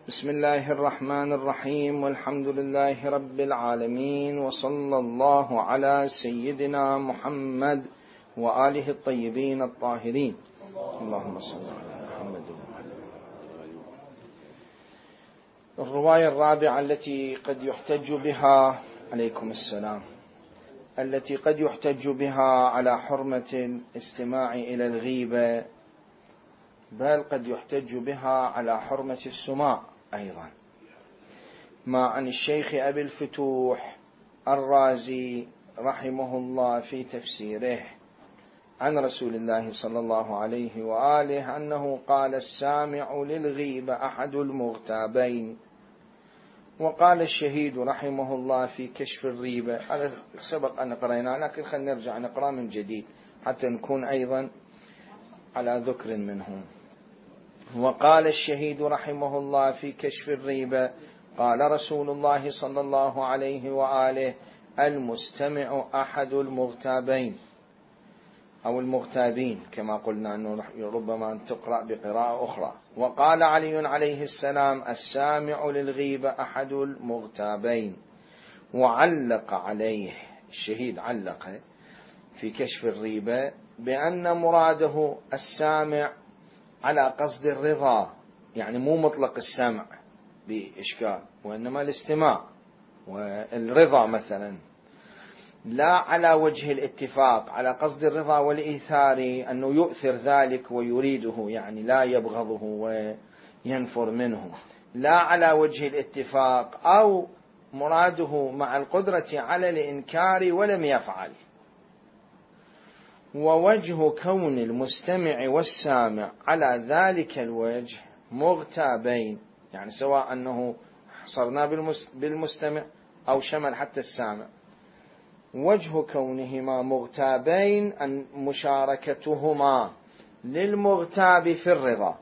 بسم الله الرحمن الرحيم، والحمد لله رب العالمين، وصلى الله على سيدنا محمد وآله الطيبين الطاهرين. اللهم صل على محمد. الرواية الرابعة التي قد يحتج بها عليكم السلام التي قد يحتج بها على حرمة الاستماع إلى الغيبة، بل قد يحتج بها على حرمة السماع أيضا، ما عن الشيخ أبي الفتوح الرازي رحمه الله في تفسيره عن رسول الله صلى الله عليه وآله أنه قال: السامع للغيبة أحد المغتابين. وقال الشهيد رحمه الله في كشف الريبة، هذا سبق أن قرأناه لكن خلينا نرجع نقرأ من جديد حتى نكون أيضا على ذكر منهم. وقال الشهيد رحمه الله في كشف الريبة: قال رسول الله صلى الله عليه وآله: المستمع أحد المغتابين أو المغتابين، كما قلنا أنه ربما تقرأ بقراءة أخرى. وقال علي عليه السلام: السامع للغيبة أحد المغتابين. وعلق عليه الشهيد، علق في كشف الريبة بأن مراده السامع على قصد الرضا، يعني مو مطلق السمع بإشكال، وإنما الاستماع والرضا مثلا، لا على وجه الاتفاق على قصد الرضا والإيثار، أنه يؤثر ذلك ويريده، يعني لا يبغضه وينفر منه، لا على وجه الاتفاق، أو مراده مع القدرة على الإنكار ولم يفعل. ووجه كون المستمع والسامع على ذلك الوجه مغتابين، يعني سواء أنه حصرنا بالمستمع أو شمل حتى السامع، وجه كونهما مغتابين أن مشاركتهما للمغتاب في الرضا،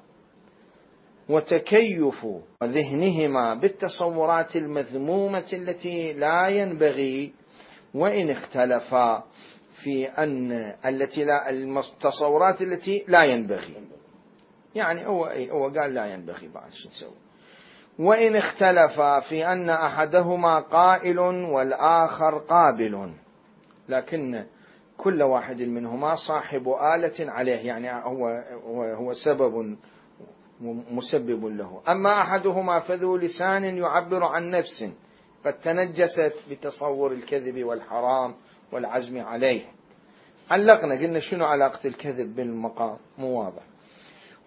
وتكيف ذهنهما بالتصورات المذمومة التي لا ينبغي، وإن اختلفا في أن التصورات التي لا ينبغي، يعني هو قال لا ينبغي، بعد شو نسوي؟ وإن اختلفا في أن أحدهما قائل والآخر قابل، لكن كل واحد منهما صاحب آلة عليه، يعني هو سبب مسبب له. أما أحدهما فذو لسان يعبر عن نفس قد تنجست بتصور الكذب والحرام والعزم عليه. علقنا قلنا شنو علاقة الكذب بالمقام، مو واضح.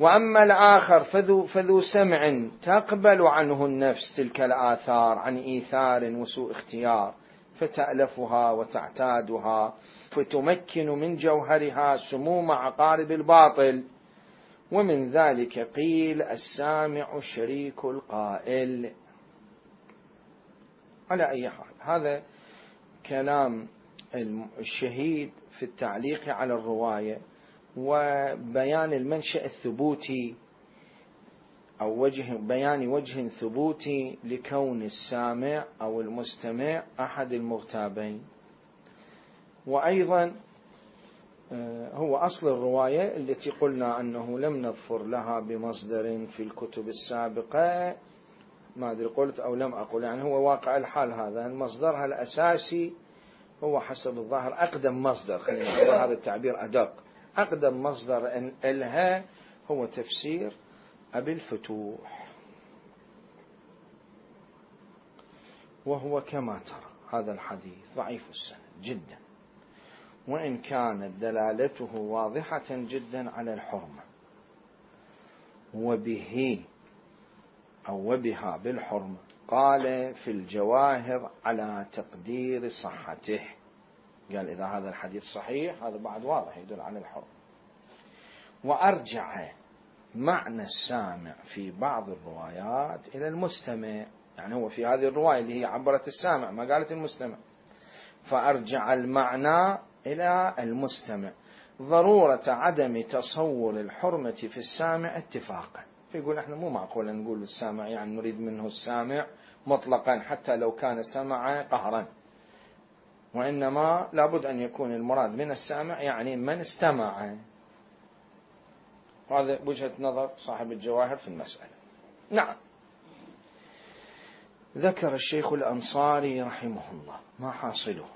وأما الآخر فذو سمع تقبل عنه النفس تلك الآثار عن إيثار وسوء اختيار، فتألفها وتعتادها، فتمكن من جوهرها سموم عقارب الباطل. ومن ذلك قيل: السامع شريك القائل. على أي حال، هذا كلام الشهيد في التعليق على الرواية، وبيان المنشأ الثبوتي أو بيان وجه ثبوتي لكون السامع أو المستمع أحد المغتابين. وأيضا هو أصل الرواية التي قلنا أنه لم نظفر لها بمصدر في الكتب السابقة، ما أدري قلت أو لم أقل، يعني هو واقع الحال هذا مصدرها الأساسي هو حسب الظاهر أقدم مصدر، خلينا هذا التعبير أدق، أقدم مصدر لها هو تفسير أبي الفتوح، وهو كما ترى هذا الحديث ضعيف السند جدا، وإن كانت دلالته واضحة جدا على الحرمة، وبها بالحرمة. قال في الجواهر على تقدير صحته، قال إذا هذا الحديث صحيح هذا بعد واضح يدل على الحرمة. وأرجع معنى السامع في بعض الروايات إلى المستمع، يعني هو في هذه الرواية اللي هي عبرت السامع ما قالت المستمع، فأرجع المعنى إلى المستمع. ضرورة عدم تصور الحرمة في السامع اتفاقا، فيقول احنا مو معقول نقول السامع يعني نريد منه السامع مطلقا حتى لو كان سمع قهرا، وإنما لابد أن يكون المراد من السامع يعني من استمع. هذا وجهة نظر صاحب الجواهر في المسألة. نعم، ذكر الشيخ الأنصاري رحمه الله ما حاصله.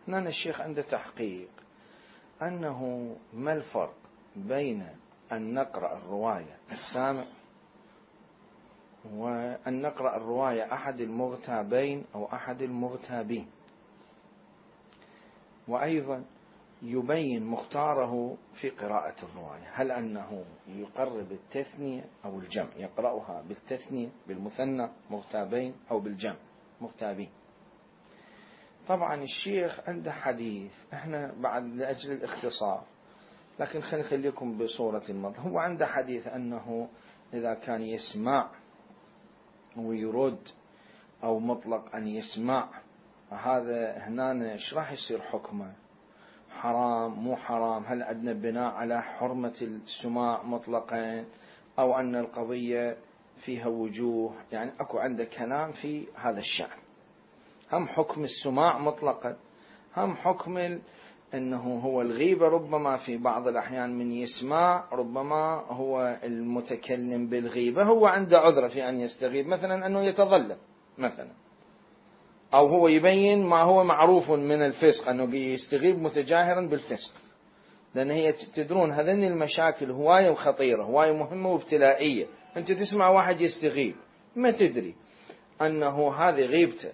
هنا الشيخ عنده تحقيق أنه ما الفرق بين أن نقرأ الرواية السامع وأن نقرأ الرواية أحد المغتابين أو أحد المغتابين، وأيضا يبين مختاره في قراءة الرواية، هل أنه يقرب التثنية أو الجمع، يقرأها بالتثنية بالمثنى مغتابين أو بالجمع مغتابين. طبعا الشيخ عنده حديث، احنا بعد لأجل الاختصار لكن خلينا نخليكم بصورة المضى. هو عنده حديث أنه إذا كان يسمع ويرد أو مطلق أن يسمع، هذا هنا ايش راح يصير حكمه؟ حرام مو حرام؟ هل عندنا بناء على حرمة السماع مطلقا أو أن القضية فيها وجوه؟ يعني أكو عنده كلام في هذا الشأن، هم حكم السماع مطلقا، هم حكم أنه هو الغيبة ربما في بعض الأحيان من يسمع ربما هو المتكلم بالغيبة هو عنده عذر في أن يستغيب، مثلا أنه يتظلم مثلا، أو هو يبين ما هو معروف من الفسق أنه يستغيب متجاهرا بالفسق. لأن هي تدرون هذين المشاكل هواية وخطيرة، هواية مهمة وابتلائية. أنت تسمع واحد يستغيب ما تدري أنه هذه غيبته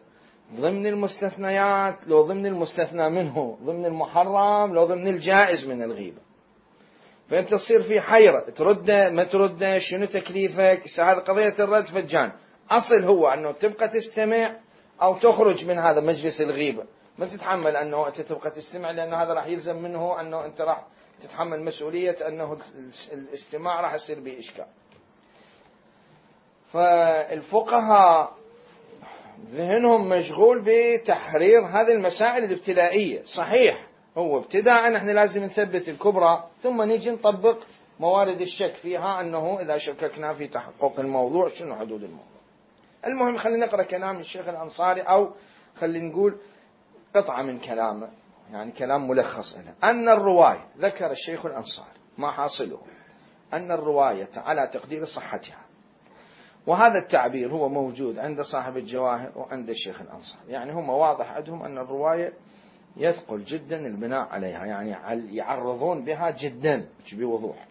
ضمن المستثنيات لو ضمن المستثنى منه، ضمن المحرم لو ضمن الجائز من الغيبة. فأنت تصير في حيرة، ترده ما ترده، شنو تكليفك؟ هذه قضية الرد فجان. أصل هو أنه تبقى تستمع أو تخرج من هذا مجلس الغيبة، ما تتحمل أنه أنت تبقى تستمع، لأن هذا راح يلزم منه أنه أنت راح تتحمل مسؤولية أنه الاستماع راح يصير به إشكال. فالفقهاء ذهنهم مشغول بتحرير هذه المسائل الابتلائية. صحيح هو ابتداء احنا لازم نثبت الكبرى ثم نيجي نطبق موارد الشك فيها، أنه إذا شككنا في تحقق الموضوع شنو حدود الموضوع. المهم خلينا نقرأ كلام الشيخ الأنصاري، أو خلينا نقول قطعة من كلامه، يعني كلام ملخص له. أن الرواية، ذكر الشيخ الأنصاري ما حاصله، أن الرواية على تقدير صحتها، وهذا التعبير هو موجود عند صاحب الجواهر وعند الشيخ الأنصاري، يعني هم واضح عندهم أن الرواية يثقل جدا البناء عليها، يعني يعرضون بها جدا بوضوح.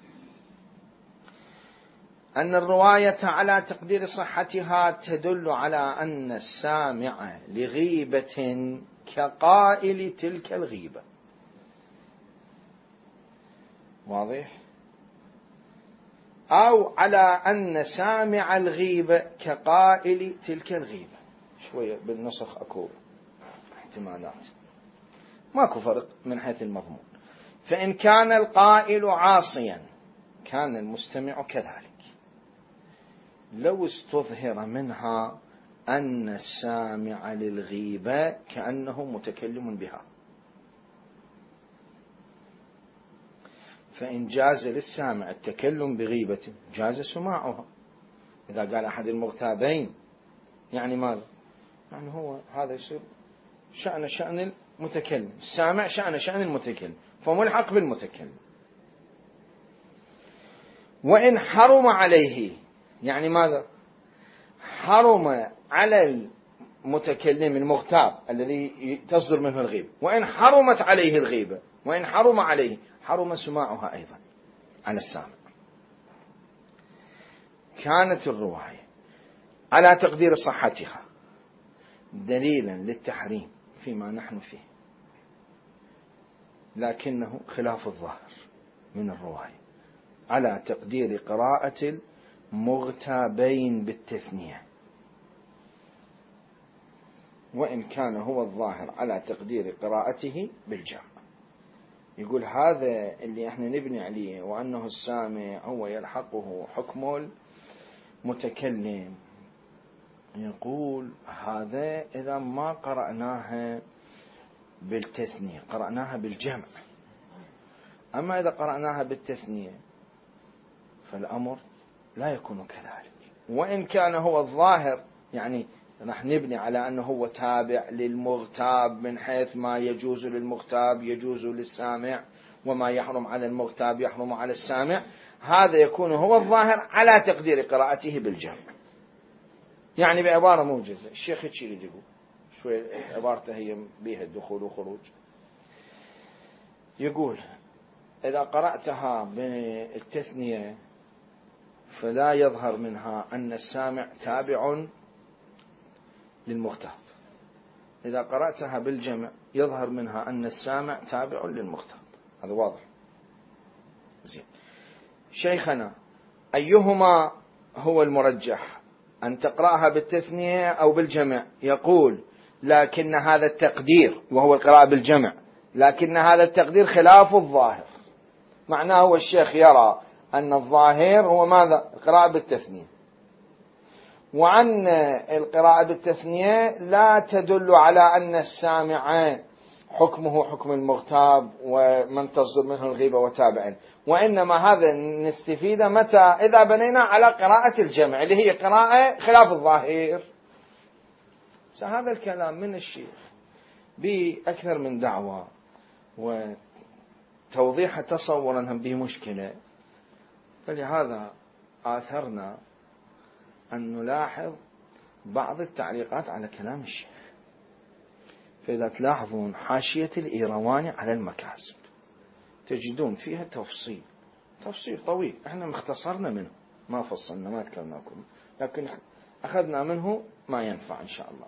أن الرواية على تقدير صحتها تدل على أن السامع لغيبة كقائل تلك الغيبة. واضح؟ أو على أن سامع الغيبة كقائل تلك الغيبة. شوية بالنسخ أكو احتمالات، ماكو فرق من حيث المضمون. فإن كان القائل عاصيا كان المستمع كذلك، لو استظهر منها أن السامع للغيبة كأنه متكلم بها. فإن جاز للسامع التكلم بغيبة جاز سماعها. إذا قال أحد المغتابين يعني ماذا؟ يعني هو هذا يصير شأن المتكلم، السامع شأن المتكلم، فملحق بالمتكلم. وإن حرم عليه، يعني ماذا؟ حرم على المتكلم المغتاب الذي تصدر منه الغيبة، وإن حرمت عليه الغيبة، وإن حرم عليه حرم سماعها أيضا على السامع. كانت الرواية على تقدير صحتها دليلا للتحريم فيما نحن فيه، لكنه خلاف الظاهر من الرواية على تقدير قراءة المغتابين بالتثنية، وإن كان هو الظاهر على تقدير قراءته بالجمع. يقول هذا اللي احنا نبني عليه، وأنه السامع هو يلحقه حكم المتكلم، يقول هذا إذا ما قرأناها بالتثنية قرأناها بالجمع. أما إذا قرأناها بالتثنية فالأمر لا يكون كذلك. وإن كان هو الظاهر، يعني نحن نبني على أنه هو تابع للمغتاب من حيث ما يجوز للمغتاب يجوز للسامع، وما يحرم على المغتاب يحرم على السامع، هذا يكون هو الظاهر على تقدير قراءته بالجمع. يعني بعبارة موجزة الشيخ هيك يريد يقول، شوي عبارته هي بيها الدخول وخروج. يقول إذا قرأتها بالتثنية فلا يظهر منها أن السامع تابع للمغتاب، إذا قرأتها بالجمع يظهر منها أن السامع تابع للمغتاب. هذا واضح. زين. شيخنا أيهما هو المرجح، أن تقرأها بالتثنية أو بالجمع؟ يقول لكن هذا التقدير، وهو القراءة بالجمع، لكن هذا التقدير خلاف الظاهر. معناه هو الشيخ يرى أن الظاهر هو ماذا؟ القراءة بالتثنية، وأن القراءة بالتثنية لا تدل على أن السامع حكمه حكم المغتاب ومن تصدر منه الغيبة وتابعا، وإنما هذا نستفيد متى؟ إذا بنينا على قراءة الجمع اللي هي قراءة خلاف الظاهر. هذا الكلام من الشيخ بأكثر من دعوة وتوضيح تصورا هم به مشكلة، فلهذا آثرنا أن نلاحظ بعض التعليقات على كلام الشيخ. فإذا تلاحظون حاشية الإيرواني على المكاسب تجدون فيها تفصيل طويل، احنا مختصرنا منه، ما فصلنا ما تكلمناكم، لكن أخذنا منه ما ينفع إن شاء الله.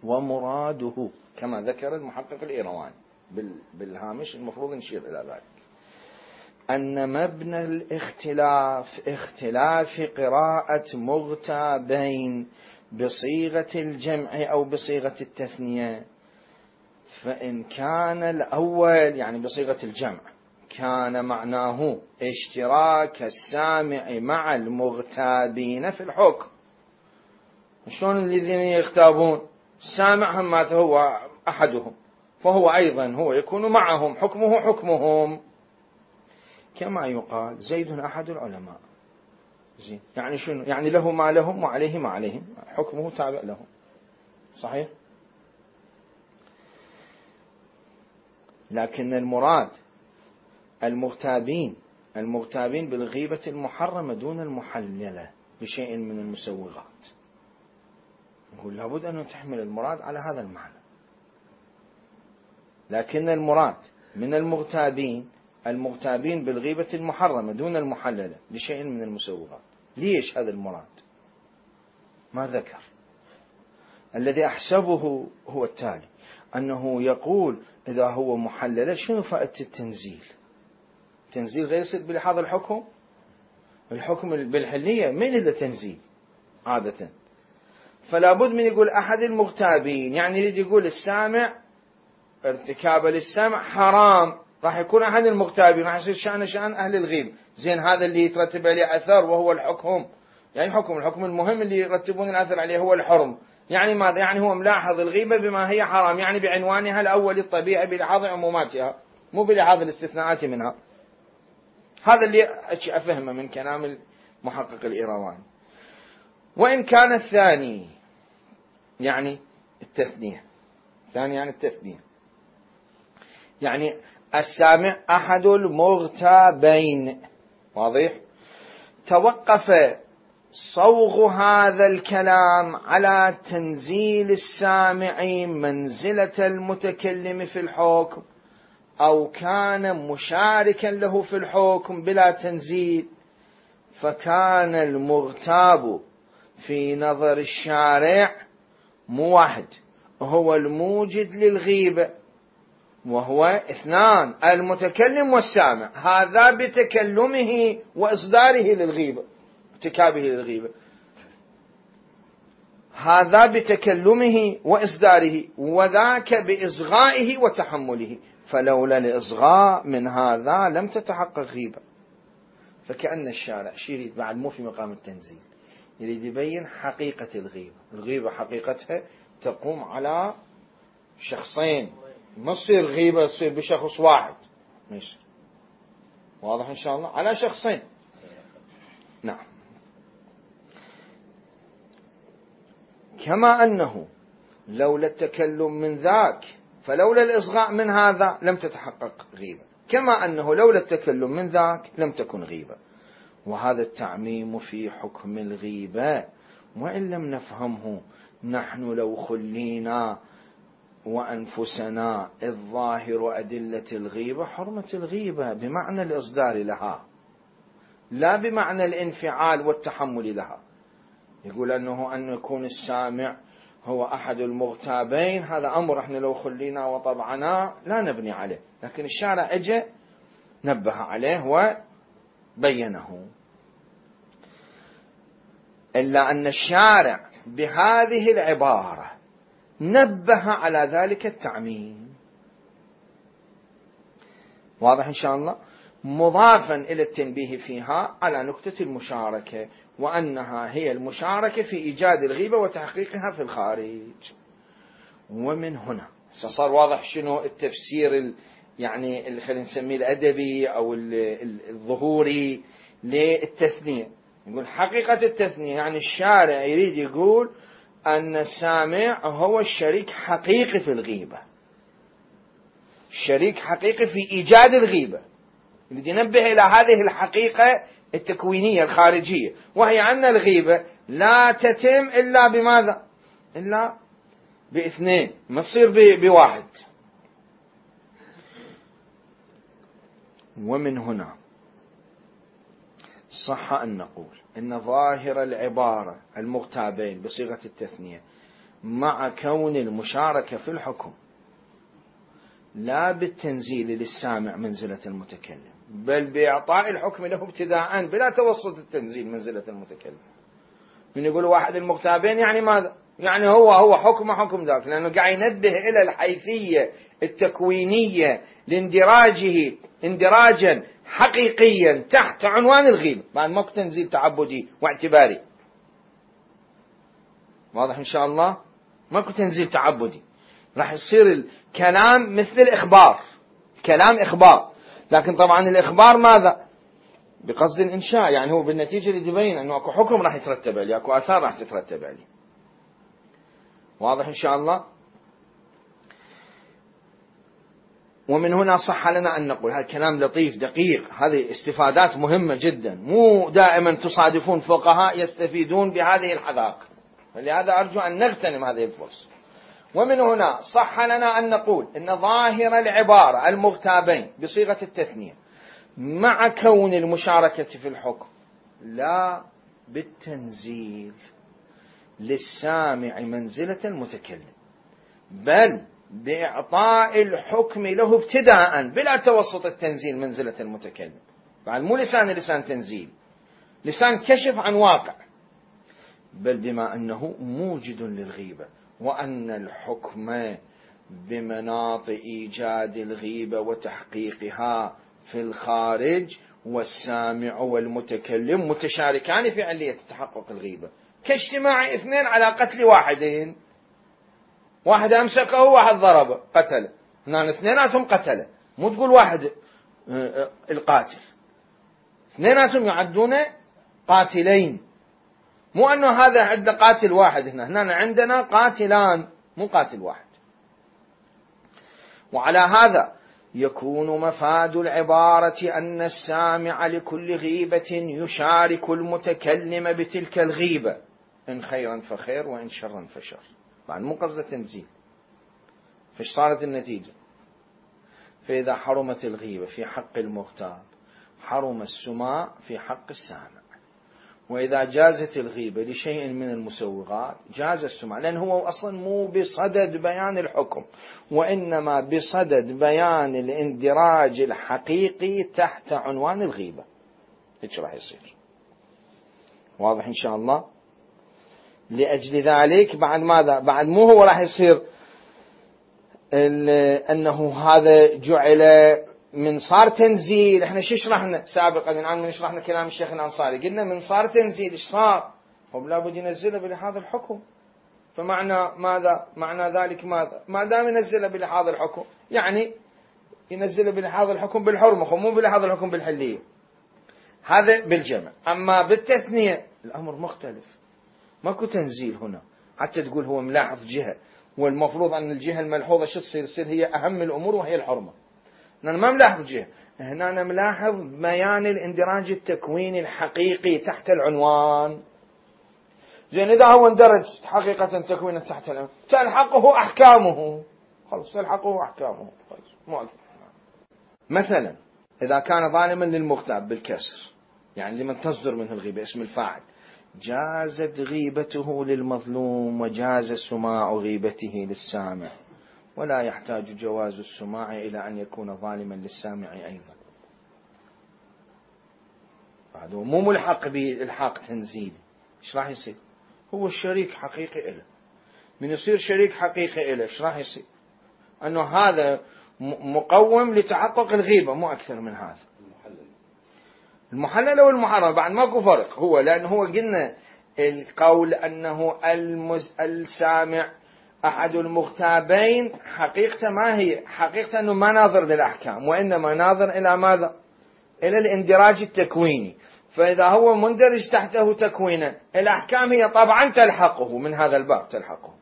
ومراده كما ذكر المحقق الإيرواني بالهامش، المفروض نشير إلى ذلك، أن مبنى الاختلاف اختلاف قراءة مغتابين بصيغة الجمع أو بصيغة التثنية. فإن كان الأول يعني بصيغة الجمع كان معناه اشتراك السامع مع المغتابين في الحكم. شلون الذين يغتابون؟ السامع هم هو أحدهم، فهو أيضا هو يكون معهم، حكمه حكمهم، كما يقال زيد أحد العلماء. زين. يعني شنو؟ يعني له ما لهم وعليه ما عليهم، حكمه تابع لهم. صحيح؟ لكن المراد المغتابين بالغيبة المحرمة دون المحللة بشيء من المسوغات. نقول لابد أن تحمل المراد على هذا المعنى. لكن المراد من المغتابين بالغيبة المحرمة دون المحللة بشيء من المسوغات. ليش هذا المراد؟ ما ذكر. الذي أحسبه هو التالي، أنه يقول إذا هو محللة شنو فائدة التنزيل؟ التنزيل غير يصير بلحاظ الحكم بالحلية من إذا تنزيل عادة. فلا بد من يقول أحد المغتابين، يعني يريد يقول السامع ارتكاب للسمع حرام، راح يكون أحد المغتابين، راح يصير شأن أهل الغيب. زين، هذا اللي يترتب عليه أثر وهو الحكم، يعني الحكم المهم اللي يرتبون الأثر عليه هو الحرم. يعني ماذا؟ يعني هو ملاحظ الغيبة بما هي حرام، يعني بعنوانها الأول الطبيعي بلحاظ عموماتها مو بلحاظ الاستثناءات منها. هذا اللي أفهمه من كلام المحقق الإيرواني. وإن كان الثاني يعني التثنية، يعني السامع أحد المغتابين، واضح؟ توقف صوغ هذا الكلام على تنزيل السامع منزلة المتكلم في الحكم، أو كان مشاركا له في الحكم بلا تنزيل، فكان المغتاب في نظر الشارع موحد هو الموجد للغيبة، وهو اثنان، المتكلم والسامع، هذا بتكلمه وإصداره للغيبة، ارتكابه للغيبة، هذا بتكلمه وإصداره، وذاك بإصغائه وتحمله، فلولا الإصغاء من هذا لم تتحقق غيبة. فكأن الشارع يريد بعد مو في مقام التنزيل، يريد يبين حقيقة الغيبة حقيقتها تقوم على شخصين، ما تصير غيبة تصير بشخص واحد، ما يصير. واضح إن شاء الله؟ على شخصين. نعم. كما أنه لولا التكلم من ذاك فلولا الإصغاء من هذا لم تتحقق غيبة، كما أنه لولا التكلم من ذاك لم تكن غيبة. وهذا التعميم في حكم الغيبة وإن لم نفهمه نحن لو خلينا وأنفسنا الظاهر أدلة الغيبة حرمة الغيبة بمعنى الإصدار لها لا بمعنى الانفعال والتحمل لها. يقول أن يكون السامع هو أحد المغتابين، هذا أمر احنا لو خلينا وطبعنا لا نبني عليه، لكن الشارع اجى نبه عليه وبينه. إلا أن الشارع بهذه العبارة نبه على ذلك التعميم. واضح إن شاء الله؟ مضافا إلى التنبيه فيها على نكتة المشاركة، وأنها هي المشاركة في إيجاد الغيبة وتحقيقها في الخارج. ومن هنا صار واضح شنو التفسير يعني اللي خلينا نسميه الأدبي أو الظهوري للتثنية. يقول حقيقة التثنية يعني الشارع يريد يقول أن السامع هو الشريك حقيقي في الغيبة، الشريك حقيقي في إيجاد الغيبة، يريد ينبه إلى هذه الحقيقة التكوينية الخارجية، وهي أن الغيبة لا تتم إلا بماذا؟ إلا باثنين، ما تصير بواحد. ومن هنا صح أن نقول إن ظاهر العبارة المغتابين بصيغة التثنية مع كون المشاركة في الحكم لا بالتنزيل للسامع منزلة المتكلم، بل بإعطاء الحكم له ابتداء بلا توسط التنزيل منزلة المتكلم. من يقول واحد المغتابين يعني ماذا؟ يعني هو حكم ذاك، لأنه قاعد ينبه إلى الحيثية التكوينية لاندراجه اندراجا حقيقيا تحت عنوان الغيبة، بعد ماكو تنزيل تعبدي واعتباري. واضح إن شاء الله؟ ماكو تنزيل تعبدي، راح يصير الكلام مثل الإخبار، كلام إخبار، لكن طبعا الإخبار ماذا؟ بقصد الإنشاء، يعني هو بالنتيجة اللي يبين أنه أكو حكم راح يترتب عليه، أكو آثار راح تترتب عليه. واضح إن شاء الله؟ ومن هنا صح لنا أن نقول هذا كلام لطيف دقيق، هذه استفادات مهمة جدا، مو دائما تصادفون فقهاء يستفيدون بهذه الحذاق، فلهذا أرجو أن نغتنم هذه الفرصة. ومن هنا صح لنا أن نقول إن ظاهر العبارة المغتابين بصيغة التثنية مع كون المشاركة في الحكم لا بالتنزيل للسامع منزلة المتكلم، بل بإعطاء الحكم له ابتداء بلا توسط التنزيل منزلة المتكلم. بعد مو لسان تنزيل، لسان كشف عن واقع، بل بما أنه موجد للغيبة، وأن الحكم بمناط إيجاد الغيبة وتحقيقها في الخارج، والسامع والمتكلم متشاركان في علية تحقق الغيبة، كاجتماع اثنين على قتل واحدين، واحد أمسكه واحد ضربه قتله، هنا اثنيناتهم قتله، مو تقول واحد القاتل، اثنيناتهم يعدون قاتلين، مو أنه هذا عند قاتل واحد، هنا عندنا قاتلان مو قاتل واحد. وعلى هذا يكون مفاد العبارة أن السامع لكل غيبة يشارك المتكلم بتلك الغيبة، إن خيرا فخير وإن شرا فشر. بعد مو قصد تنزيل، فايش صارت النتيجة؟ فإذا حرمت الغيبة في حق المغتاب حرم السماع في حق السامع، وإذا جازت الغيبة لشيء من المسوغات جاز السماع، لأن هو أصلا مو بصدد بيان الحكم، وإنما بصدد بيان الاندراج الحقيقي تحت عنوان الغيبة. إيش راح يصير؟ واضح إن شاء الله؟ لأجل ذلك بعد ماذا؟ بعد مو هو راح يصير أنه هذا جعل من صار تنزيل. احنا شو شرحنا سابقا الآن من شرحنا كلام الشيخ الأنصاري، قلنا من صار تنزيل ايش صار؟ هم لابد ينزله بلحاظ الحكم، فمعنى ماذا؟ معنى ذلك ماذا؟ ما دام ينزله بلحاظ الحكم يعني ينزله بلحاظ الحكم بالحرمة، مو بلحاظ الحكم بالحلية، هذا بالجمع. أما بالتثنية الأمر مختلف، ماكو تنزيل هنا حتى تقول هو ملاحظ جهة، والمفروض أن الجهة الملحوظة شو تصير هي أهم الأمور وهي الحرمة. أنا ما ملاحظ جهة، هنا أنا ملاحظ بيان الاندراج التكويني الحقيقي تحت العنوان، زين إذا هو اندرج حقيقة تكوينا تحت الأمر تلحقه أحكامه، خلص تلحقه أحكامه مو أكثر. مثلا إذا كان ظالما للمغتاب بالكسر، يعني لمن تصدر منه الغيبة اسم الفاعل، جازت غيبته للمظلوم وجاز سماع غيبته للسامع، ولا يحتاج جواز السماع إلى أن يكون ظالما للسامع أيضا. هذا مو ملحق بالحاق تنزيلي. ايش راح يصير؟ هو الشريك حقيقي له، من يصير شريك حقيقي له ايش راح يصير؟ انه هذا مقوم لتحقق الغيبة، مو اكثر من هذا. المحلل والمحرم بعد ماكو فرق، هو لأنه هو قلنا القول أنه السامع أحد المغتابين حقيقة ما هي حقيقة أنه ما ناظر للأحكام، وإنما ناظر إلى ماذا؟ إلى الاندراج التكويني. فإذا هو مندرج تحته تكوينا الأحكام هي طبعا تلحقه من هذا الباب تلحقه.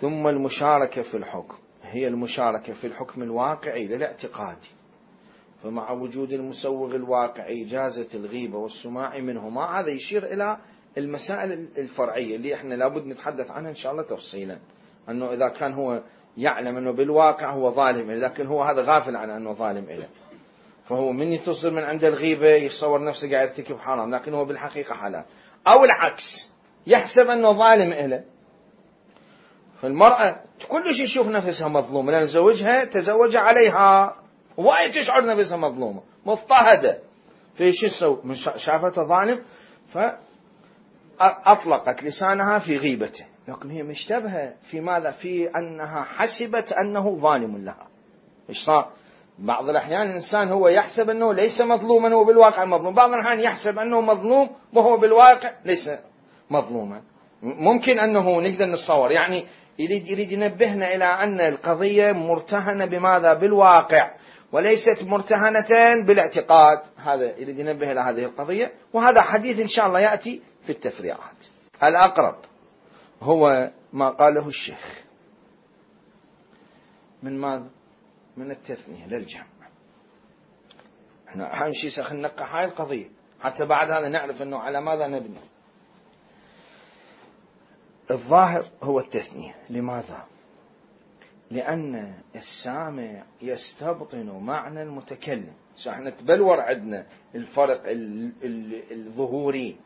ثم المشاركة في الحكم هي المشاركة في الحكم الواقعي للاعتقادي، فمع وجود المسوغ الواقعي جازت الغيبة والسماع منهما. هذا يشير إلى المسائل الفرعية اللي احنا لابد نتحدث عنها إن شاء الله تفصيلا، أنه إذا كان هو يعلم أنه بالواقع هو ظالم إله، لكن هو هذا غافل عن أنه ظالم إله، فهو من يتصل من عند الغيبة يتصور نفسه قاعد يرتكب حرام لكن هو بالحقيقة حلال، أو العكس يحسب أنه ظالم إله. فالمرأة كلش يشوف نفسها مظلومة لأن زوجها تزوج عليها، وايد تشعر نفسها مظلومة مضطهدة، فايش تسوي؟ شافته ظالم فأطلقت لسانها في غيبته، لكن هي مشتبهة في ماذا؟ في أنها حسبت أنه ظالم لها. ايش صار؟ بعض الأحيان الإنسان هو يحسب أنه ليس مظلوما هو بالواقع مظلوم، بعض الأحيان يحسب أنه مظلوم وهو بالواقع ليس مظلوما. ممكن أنه نقدر نتصور، يعني يريد ينبهنا إلى أن القضية مرتهنة بماذا؟ بالواقع وليست مرتهنة بالاعتقاد. هذا يريد ينبه إلى هذه القضية، وهذا حديث إن شاء الله يأتي في التفريعات. الأقرب هو ما قاله الشيخ من ماذا؟ من التثنية للجمع. احنا أهم شيء سننقح هاي القضية حتى بعد هذا نعرف أنه على ماذا نبني. الظاهر هو التثنية. لماذا؟ لأن السامع يستبطن معنى المتكلم. احنا تبلور عندنا الفرق الظهوري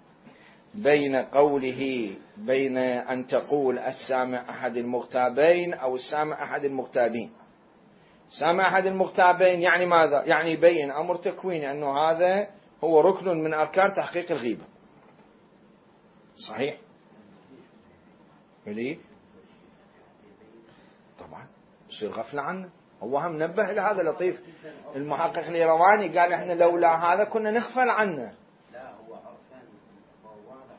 بين قوله بين أن تقول السامع أحد المغتابين أو السامع أحد المغتابين. سامع أحد المغتابين يعني ماذا؟ يعني يبين أمر تكويني أنه هذا هو ركن من أركان تحقيق الغيبة. صحيح؟ وليه؟ طبعا يصير غفلة عنه. هو هم نبه إلى هذا لطيف المحقق الإيرواني، قال إحنا لولا هذا كنا نغفل عنه،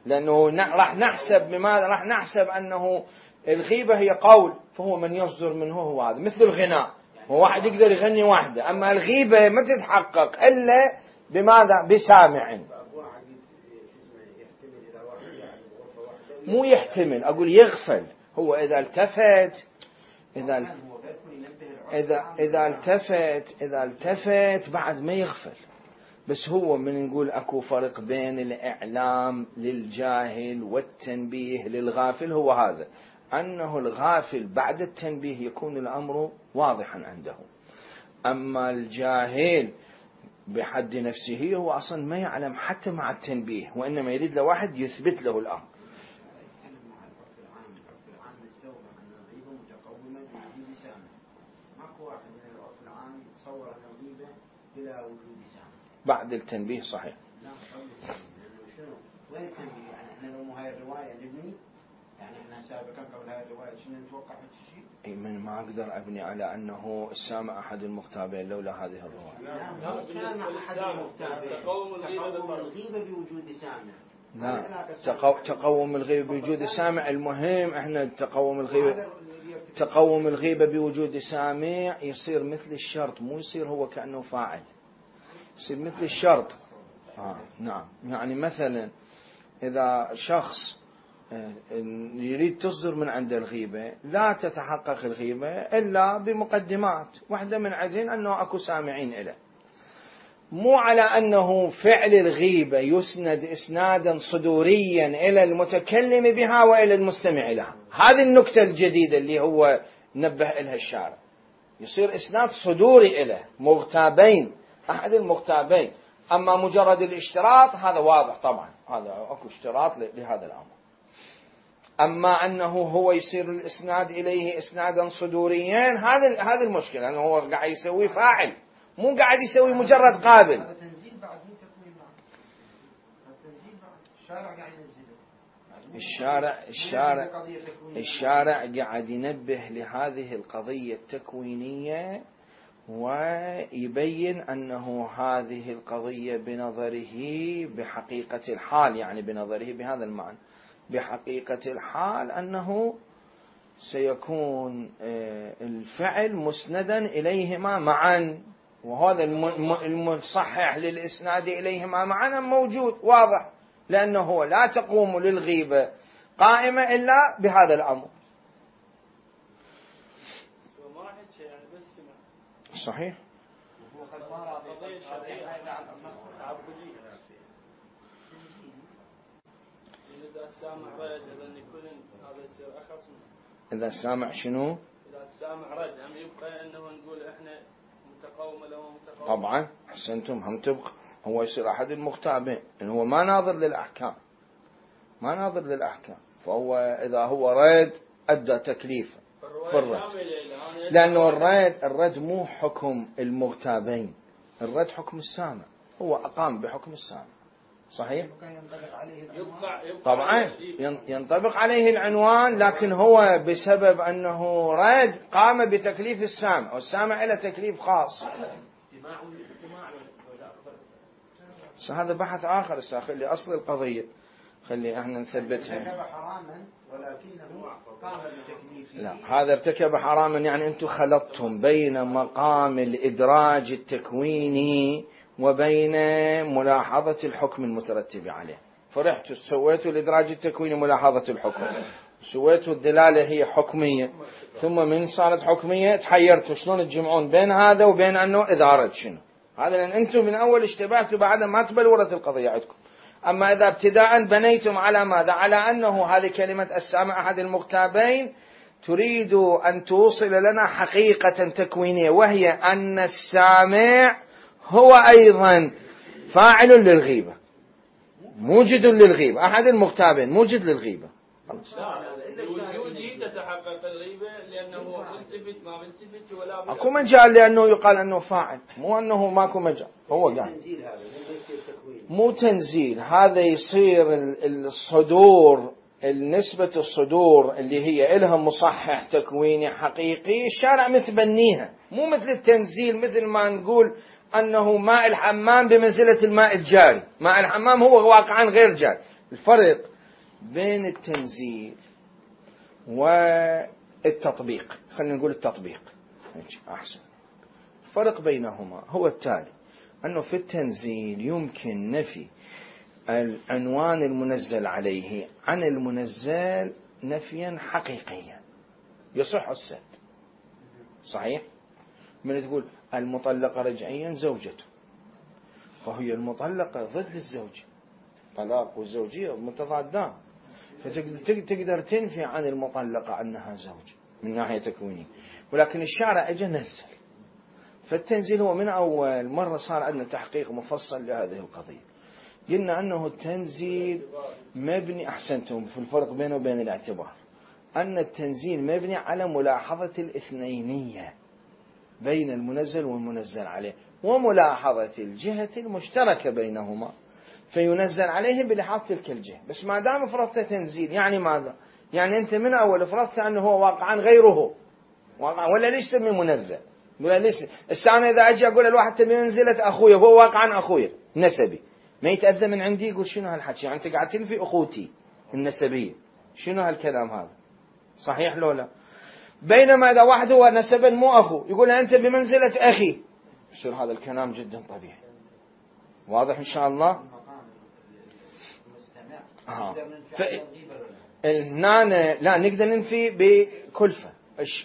لأنه راح نحسب بماذا؟ راح نحسب أنه الغيبة هي قول، فهو من يصدر منه هو هذا مثل الغناء، هو واحد يقدر يغني واحدة، أما الغيبة ما تتحقق إلا بماذا؟ بسامع. مو يحتمل، أقول يغفل. هو إذا التفت إذا التفت بعد ما يغفل. بس هو من نقول أكو فرق بين الإعلام للجاهل والتنبيه للغافل، هو هذا أنه الغافل بعد التنبيه يكون الأمر واضحا عنده، أما الجاهل بحد نفسه هو أصلا ما يعلم حتى مع التنبيه، وإنما يريد له واحد يثبت له الأمر. بعد التنبيه صحيح. وين التنبيه؟ يعني احنا لو مو هاي الرواية نبني، يعني احنا سابقا قبل هاي الرواية شنو نتوقع شيء؟ من ما اقدر ابني على انه السامع احد المغتابين لولا هذه الرواية. لا السامع احد المغتابين، تقوم الغيبة بوجود سامع. لا تقوم الغيبة بوجود سامع. المهم احنا تقوم الغيبة بوجود سامع يصير مثل الشرط، مو يصير هو كأنه فاعل، يصير مثل الشرط. نعم، يعني مثلا إذا شخص يريد تصدر من عند الغيبة لا تتحقق الغيبة إلا بمقدمات، واحدة من عزين أنه أكو سامعين إله. مو على أنه فعل الغيبة يسند إسنادا صدوريا إلى المتكلم بها وإلى المستمع لها. هذه النكتة الجديدة اللي هو نبه إلها الشارع، يصير إسناد صدوري إليه مغتابين، أحد المغتابين. أما مجرد الاشتراط هذا واضح طبعا، هذا أكو اشتراط لهذا الأمر. أما أنه هو يصير الإسناد إليه إسنادا صدوريا، هذا المشكلة، أنه هو قاعد يسوي فاعل، مو قاعد يسوي مجرد قابل. هذا تنزيل بعد مو تكوين بعد. التنزيل بعد الشارع قاعد ينزله. الشارع قاعد ينبه لهذه القضية التكوينية، ويبين أنه هذه القضية بنظره بحقيقة الحال، يعني بنظره بهذا المعنى، بحقيقة الحال أنه سيكون الفعل مسندا إليهما معا، وهذا المصحح للإسناد إليهما معا موجود واضح، لأنه لا تقوم للغيبة قائمة إلا بهذا الأمر. صحيح. إذا السامع شنو؟ إذا السامع رد هم يبقى أنه نقول إحنا متقوم له متقوم. طبعا أحسنتم، هم تبقى هو يصير أحد المغتابين، إن هو ما ناظر للأحكام، ما ناظر للأحكام، فهو إذا هو رد أدى تكليفه في الرد، لأنه الرد مو حكم المغتابين، الرد حكم السامع، هو أقام بحكم السامع. صحيح؟ طبعا ينطبق عليه العنوان، لكن هو بسبب أنه رد قام بتكليف السامع، والسامع له تكليف خاص. هذا بحث آخر، خلي أصل القضية خلي احنا نثبتها. ارتكب حراما ولكنه قام بتكليفه. لا، هذا ارتكب حراما يعني أنتم خلطتم بين مقام الإدراج التكويني وبين ملاحظة الحكم المترتب عليه. فرحتوا سويتوا الإدراج التكويني ملاحظة الحكم، سويتوا الدلالة هي حكمية، ثم من صارت حكمية تحيرتوا شلون تجمعون بين هذا وبين أنه إدارة شنو. هذا لأن أنتم من أول اشتبهتوا بعد ما تبلورت القضية عندكم. أما إذا ابتداء بنيتم على ماذا؟ على أنه هذه كلمة السامع أحد المغتابين تريد أن توصل لنا حقيقة تكوينية، وهي أن السامع هو أيضا فاعل للغيبة، موجد للغيبة، أحد المغتابين موجد للغيبة. وجودي تتحقق الغيبة لأنه ملتفت ما ملتفت ولا أكو مجال لأنه يقال أنه فاعل، مو أنه ماكو مجال. هو قال مو تنزيل، هذا يصير الصدور، النسبة الصدور اللي هي إلها مصحح تكويني حقيقي الشارع متبنيها، مو مثل التنزيل مثل ما نقول أنه ماء الحمام بمنزلة الماء الجاري. ماء الحمام هو واقعا غير جاري. الفرق بين التنزيل والتطبيق، خلينا نقول التطبيق أحسن، الفرق بينهما هو التالي: أنه في التنزيل يمكن نفي العنوان المنزل عليه عن المنزل نفيا حقيقيا يصح السد. صحيح؟ من تقول المطلقة رجعيا زوجته، فهي المطلقة ضد الزوج، طلاق والزوجية متضادان، فتقدر تنفي عن المطلقة أنها زوج من ناحية تكوينية، ولكن الشارع اجى نزل. فالتنزيل هو من أول مرة صار عندنا تحقيق مفصل لهذه القضية، قلنا أنه التنزيل مبني، أحسنتم في الفرق بينه وبين الاعتبار، أن التنزيل مبني على ملاحظة الاثنينية بين المنزل والمنزل عليه، وملاحظة الجهة المشتركة بينهما، فينزل عليه بلحاظ تلك الجهة. بس ما دام فرضت تنزيل يعني ماذا؟ يعني أنت من أول فرضت أنه هو واقعا غيره، واقعا، ولا ليش سمي منزل؟ ولا ليش السنة إذا أجي أقول الواحد تبي منزلة أخويا هو واقعا أخويا نسبي، ما يتأذى من عندي يقول شنو هالحكي؟ يعني أنت قاعد تنفي أخوتي النسبية، شنو هالكلام هذا؟ صحيح لو لا؟ بينما إذا واحد هو نسبا مو أخو يقول أنت بمنزلة أخي، يصير هذا الكلام جدا طبيعي. واضح إن شاء الله؟ النانة لا نقدر ننفي بكلفة.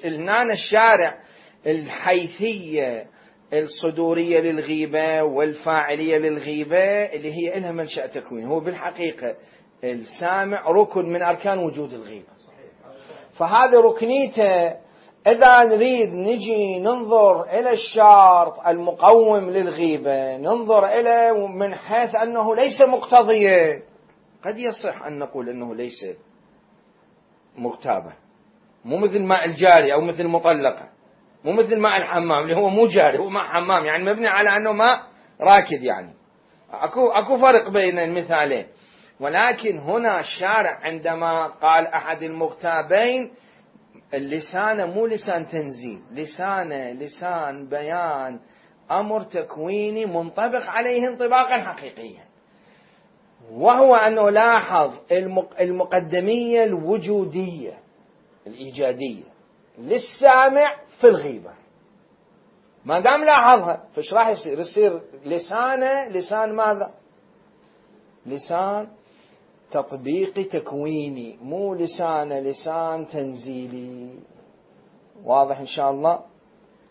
النانة الشارع الحيثية الصدورية للغيبة والفاعلية للغيبة اللي هي لها منشأ تكوين. هو بالحقيقة السامع ركن من أركان وجود الغيبة، فهذا ركنيته. إذا نريد نجي ننظر إلى الشرط المقوم للغيبة، ننظر إلى من حيث أنه ليس مقتضيا، قد يصح أن نقول أنه ليس مغتابة، مو مثل ماء الجاري أو مثل مطلقة، مو مثل ماء الحمام اللي هو مو جاري، هو ماء حمام يعني مبني على أنه ماء راكد. يعني أكو فرق بين المثالين. ولكن هنا الشارع عندما قال أحد المغتابين، اللسان مو لسان تنزيل، لسان بيان أمر تكويني منطبق عليه انطباقا حقيقيا، وهو أنه لاحظ المقدمية الوجودية الإيجادية للسامع في الغيبة. ما دام لاحظها فايش راح يصير؟ يصير لسانه لسان ماذا؟ لسان تطبيقي تكويني، مو لسان تنزيلي. واضح إن شاء الله؟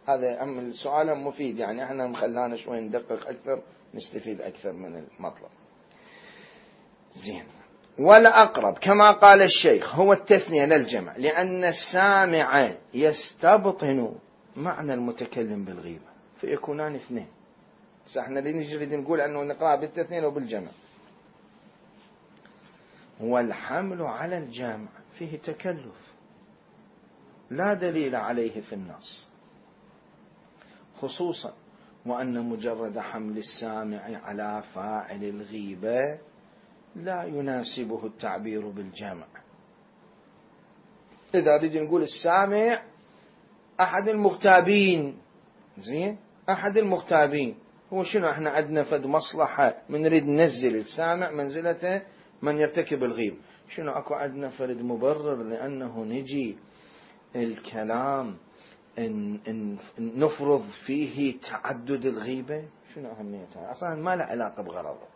هذا السؤال مفيد، يعني احنا مخلانا شوي ندقق أكثر نستفيد أكثر من المطلب. زين. ولا أقرب كما قال الشيخ هو التثنية للجمع، لأن السامع يستبطن معنى المتكلم بالغيبة فيكونان اثنين. احنا نريد نقول أنه نقرأ بالتثنية وبالجمع. والحمل على الجمع فيه تكلف لا دليل عليه في النص، خصوصا وأن مجرد حمل السامع على فاعل الغيبة لا يناسبه التعبير بالجمع. إذا نريد نقول السامع أحد المغتابين، زين، أحد المغتابين، هو شنو؟ احنا عندنا فد مصلحة من نريد ننزل السامع منزلته من يرتكب الغيبة. شنو أكو عندنا فرد مبرر لأنه نجي الكلام إن نفرض فيه تعدد الغيبة؟ شنو أهميتها؟ أصلا ما له علاقة بغرضه.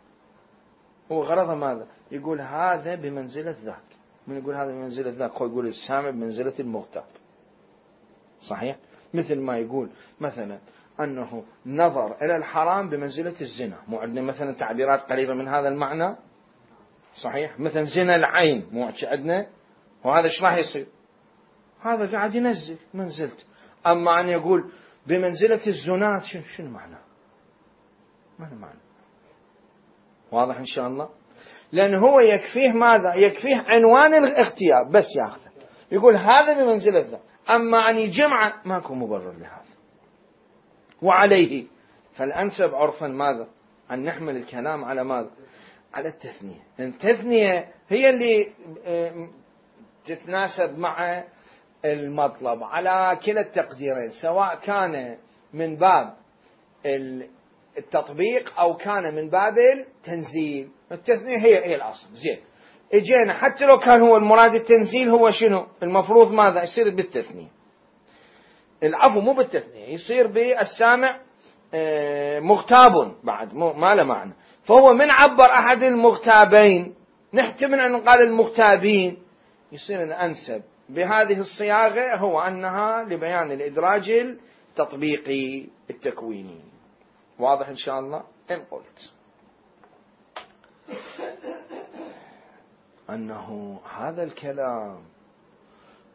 هو غرضه ماذا؟ يقول هذا بمنزلة ذاك. من يقول هذا بمنزلة ذاك؟ هو يقول السامع بمنزلة المغتاب. صحيح؟ مثل ما يقول مثلا أنه نظر إلى الحرام بمنزلة الزنا. مو عندنا مثلا تعبيرات قريبة من هذا المعنى؟ صحيح؟ مثلا زنا العين مو عندنا؟ وهذا ايش راح يصير؟ هذا قاعد ينزل منزلته. أما أن يقول بمنزلة الزنات شنو معنى؟ ما له معنى. واضح إن شاء الله؟ لأن هو يكفيه ماذا؟ يكفيه عنوان الاغتياب بس ياخذه، يقول هذا بمنزلة ذا. أما أن يجمع ماكو مبرر لهذا. وعليه فالأنسب عرفا ماذا؟ أن نحمل الكلام على ماذا؟ على التثنية. التثنية هي اللي تتناسب مع المطلب على كلا التقديرين، سواء كان من باب التطبيق أو كان من باب التنزيل. التثنية هي الأصل. زين، اجينا حتى لو كان هو المراد التنزيل، هو شنو المفروض ماذا يصير بالتثنية؟ العفو مو بالتثنية، يصير بالسامع مغتاب بعد، ما له معنى. فهو من عبر أحد المغتابين نحتمل أن نقال المغتابين، يصير الأنسب بهذه الصياغة هو أنها لبيان الإدراج التطبيقي التكويني. واضح إن شاء الله؟ إن قلت أنه هذا الكلام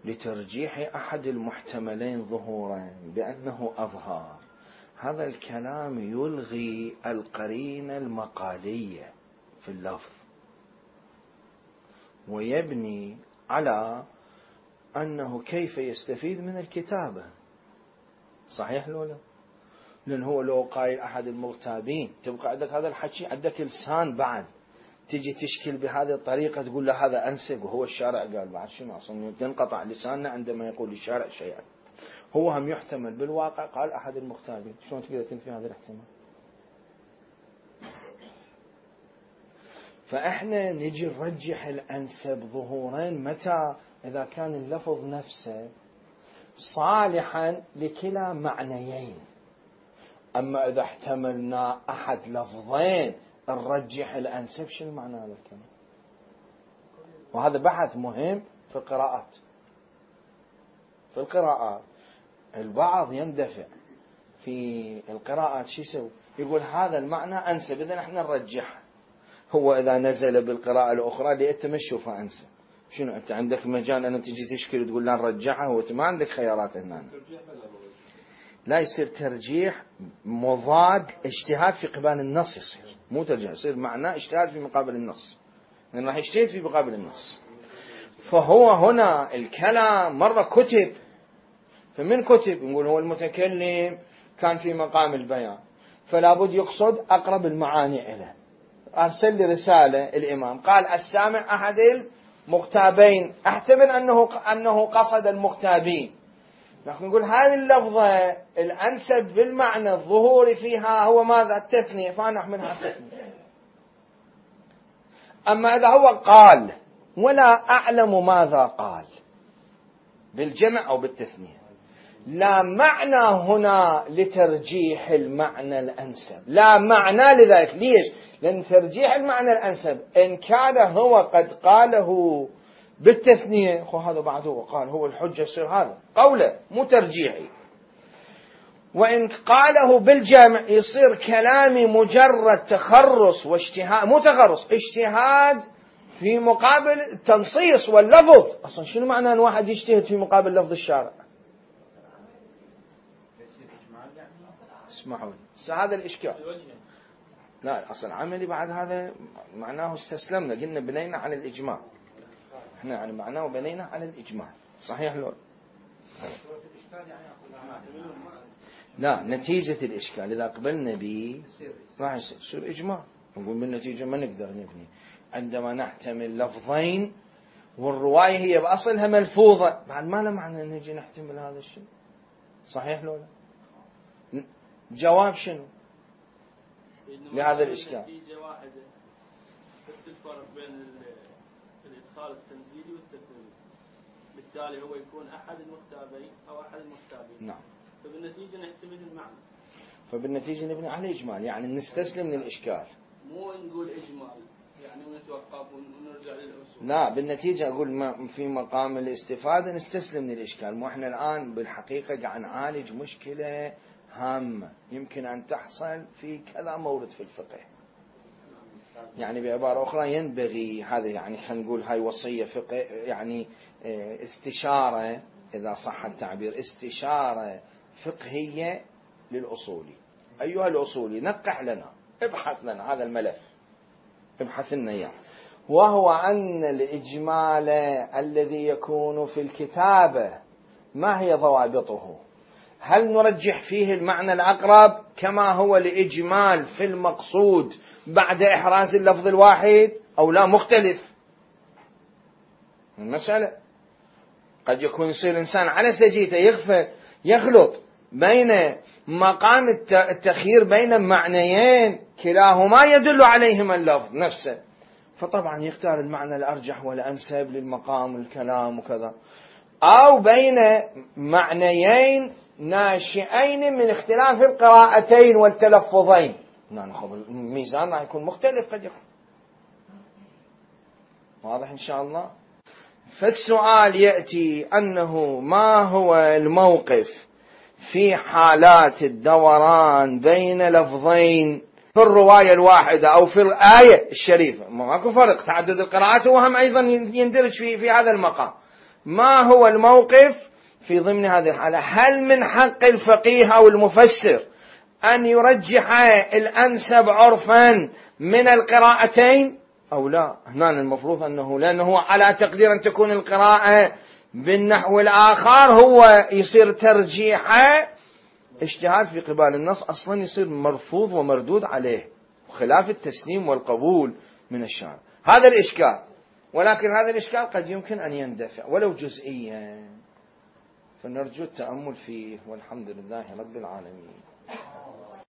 لترجيح أحد المحتملين ظهورا بأنه أظهر، هذا الكلام يلغي القرينة المقالية في اللفظ ويبني على أنه كيف يستفيد من الكتابة. صحيح لولا؟ لأن هو لو قايل أحد المغتابين تبقى عندك هذا الحكي، عندك لسان بعد تجي تشكل بهذه الطريقة تقول له هذا أنسب وهو الشارع قال بعد شنو؟ أصلا تنقطع لساننا عندما يقول الشارع شيئا. هو هم يحتمل بالواقع قال أحد المغتابين. شلون تقدر تنفي هذا الاحتمال؟ فإحنا نجي نرجح الأنسب ظهورا متى؟ إذا كان اللفظ نفسه صالحا لكلا معنيين. أما إذا احتملنا أحد لفظين نرجح الأنسب، شنو معنى هذا الكلام؟ وهذا بحث مهم في القراءات. في القراءات البعض يندفع في القراءات شو يسوي؟ يقول هذا المعنى أنسب، إذا احنا نرجحه. هو إذا نزل بالقراءة الأخرى اللي أنت ما تشوفها أنسب، شنو أنت عندك مجال أن تجي تشكل وتقول لا نرجحها؟ وأنت ما عندك خيارات هنا. لا يصير ترجيح مضاد، اجتهاد في قبال النص يصير، مو ترجيح، يصير معناه اجتهاد في مقابل النص، لأن راح يجتهد في مقابل النص. فهو هنا الكلام مرة كتب، فمن كتب نقول هو المتكلم كان في مقام البيان، فلا بد يقصد أقرب المعاني إليه. أرسل لي رسالة الإمام قال السامع أحد المغتابين، احتمل أنه قصد المغتابين، لكن نقول هذه اللفظة الأنسب بالمعنى الظهوري فيها هو ماذا؟ التثنية، فنحملها التثنية. أما إذا هو قال ولا أعلم ماذا قال بالجمع أو بالتثنية، لا معنى هنا لترجيح المعنى الأنسب، لا معنى لذلك. ليش؟ لأن ترجيح المعنى الأنسب إن كان هو قد قاله بالتثنية، هذا بعده وقال هو الحجة، يصير هذا قوله مو ترجيحي. وإن قاله بالجمع يصير كلامي مجرد تخرص واجتهاد، مو تخرص، اجتهاد في مقابل التنصيص واللفظ. أصلا شنو معنى أن واحد يجتهد في مقابل لفظ الشارع؟ اسمعوا هذا الإشكال. لا أصلا عملي بعد هذا معناه استسلمنا، قلنا بنينا على الإجماع، احنا يعني معناه بنينا على الإجماع، صحيح لو لا نتيجة الإشكال إذا قبلنا به راح يصير إجماع، نقول بالنتيجة ما نقدر نبني عندما نحتمل لفظين والرواية هي بأصلها ملفوظة، بعد ما له معنى نجي نحتمل هذا الشيء، صحيح لو لا؟ جواب شنو لهذا الإشكال؟ نتيجة واحدة بس الفرق بين الإدخال التنزيلي والتثنية، بالتالي هو يكون أحد المختابين أو أحد المختابين. نعم. فبالنتيجة نحتمل المعنى، فبالنتيجة نبني على إجمال، يعني نستسلم للإشكال، مو نقول إجمال يعني ونتوقف ونرجع للأصول. لا بالنتيجة أقول ما في مقام الاستفادة نستسلم للإشكال. مو إحنا الآن بالحقيقة قاعد نعالج مشكلة هامة يمكن أن تحصل في كذا مورد في الفقه. يعني بعبارة أخرى ينبغي هذا، يعني خلينا نقول هاي وصية فقه، يعني استشارة إذا صح التعبير، استشارة فقهية للأصولي. أيها الأصولي نقح لنا، ابحث لنا هذا الملف، ابحث لنا إياه، وهو أن الإجمال الذي يكون في الكتابة ما هي ضوابطه؟ هل نرجح فيه المعنى الأقرب كما هو الإجمال في المقصود بعد إحراز اللفظ الواحد أو لا؟ مختلف المسألة. قد يكون يصير إنسان على سجيته يخلط بين مقام التخيير بين معنيين كلاهما يدل عليهما اللفظ نفسه، فطبعا يختار المعنى الأرجح والأنسب للمقام والكلام وكذا، أو بين معنيين ناشئين من اختلاف القراءتين والتلفظين، الميزان راح يكون مختلف قد يكون. واضح إن شاء الله؟ فالسؤال يأتي أنه ما هو الموقف في حالات الدوران بين لفظين في الرواية الواحدة أو في الآية الشريفة؟ ماكو فرق، تعدد القراءات وهم أيضا يندرج في هذا المقام. ما هو الموقف في ضمن هذه الحالة؟ هل من حق الفقيه أو المفسر أن يرجح الأنسب عرفا من القراءتين أو لا؟ هنا المفروض أنه لأنه على تقدير أن تكون القراءة بالنحو الآخر هو يصير ترجيحه اجتهاد في قبال النص، أصلا يصير مرفوض ومردود عليه، خلاف التسليم والقبول من الشارع. هذا الإشكال، ولكن هذا الإشكال قد يمكن أن يندفع ولو جزئيا، فنرجو التأمل فيه، والحمد لله رب العالمين.